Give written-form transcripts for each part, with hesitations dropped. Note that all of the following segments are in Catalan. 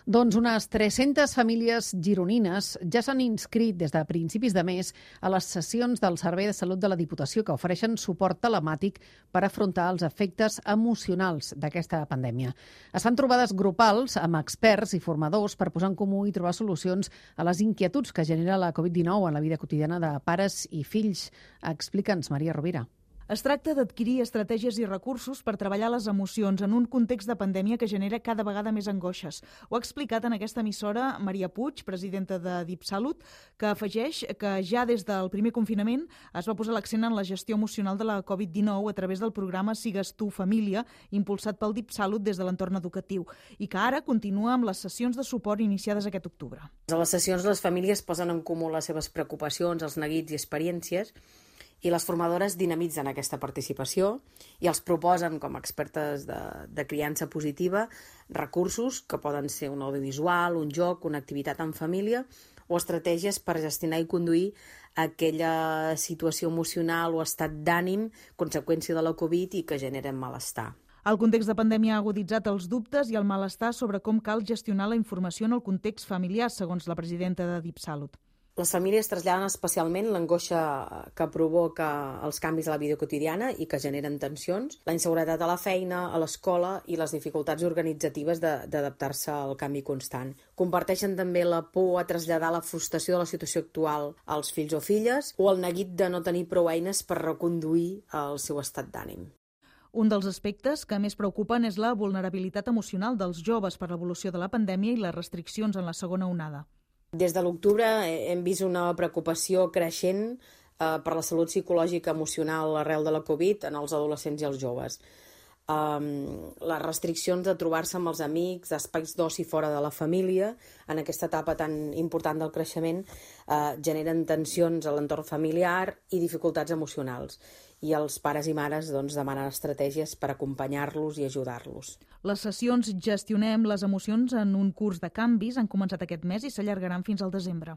Doncs unes 300 famílies gironines ja s'han inscrit des de principis de mes a les sessions del Servei de Salut de la Diputació que ofereixen suport telemàtic per afrontar els efectes emocionals d'aquesta pandèmia. Es fan trobades grupals amb experts i formadors per posar en comú i trobar solucions a les inquietuds que genera la Covid-19 en la vida quotidiana de pares i fills. Explica'ns, Maria Rovira. Es tracta d'adquirir estratègies i recursos per treballar les emocions en un context de pandèmia que genera cada vegada més angoixes. Ho ha explicat en aquesta emissora Maria Puig, presidenta de DipSalut, que afegeix que ja des del primer confinament es va posar l'accent en la gestió emocional de la Covid-19 a través del programa Sigues tu família, impulsat pel DipSalut des de l'entorn educatiu, i que ara continua amb les sessions de suport iniciades aquest octubre. A les sessions les famílies posen en comú les seves preocupacions, els neguits i experiències, i les formadores dinamitzen aquesta participació i els proposen, com a expertes de criança positiva, recursos que poden ser un audiovisual, un joc, una activitat en família o estratègies per gestionar i conduir aquella situació emocional o estat d'ànim conseqüència de la Covid i que generen malestar. El context de pandèmia ha aguditzat els dubtes i el malestar sobre com cal gestionar la informació en el context familiar, segons la presidenta de DipSalut. Les famílies traslladen especialment l'angoixa que provoca els canvis a la vida quotidiana i que generen tensions, la inseguretat a la feina, a l'escola i les dificultats organitzatives d'adaptar-se al canvi constant. Comparteixen també la por a traslladar la frustració de la situació actual als fills o filles o el neguit de no tenir prou eines per reconduir el seu estat d'ànim. Un dels aspectes que més preocupen és la vulnerabilitat emocional dels joves per l'evolució de la pandèmia i les restriccions en la segona onada. Des de l'octubre hem vist una preocupació creixent per la salut psicològica emocional arrel de la Covid en els adolescents i els joves. Les restriccions de trobar-se amb els amics, espais d'oci fora de la família, en aquesta etapa tan important del creixement, generen tensions a l'entorn familiar i dificultats emocionals. I els pares i mares demanen estratègies per acompanyar-los i ajudar-los. Les sessions Gestionem les emocions en un curs de canvis han començat aquest mes i s'allargaran fins al desembre.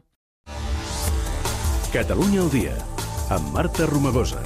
Catalunya al dia, amb Marta Romagosa.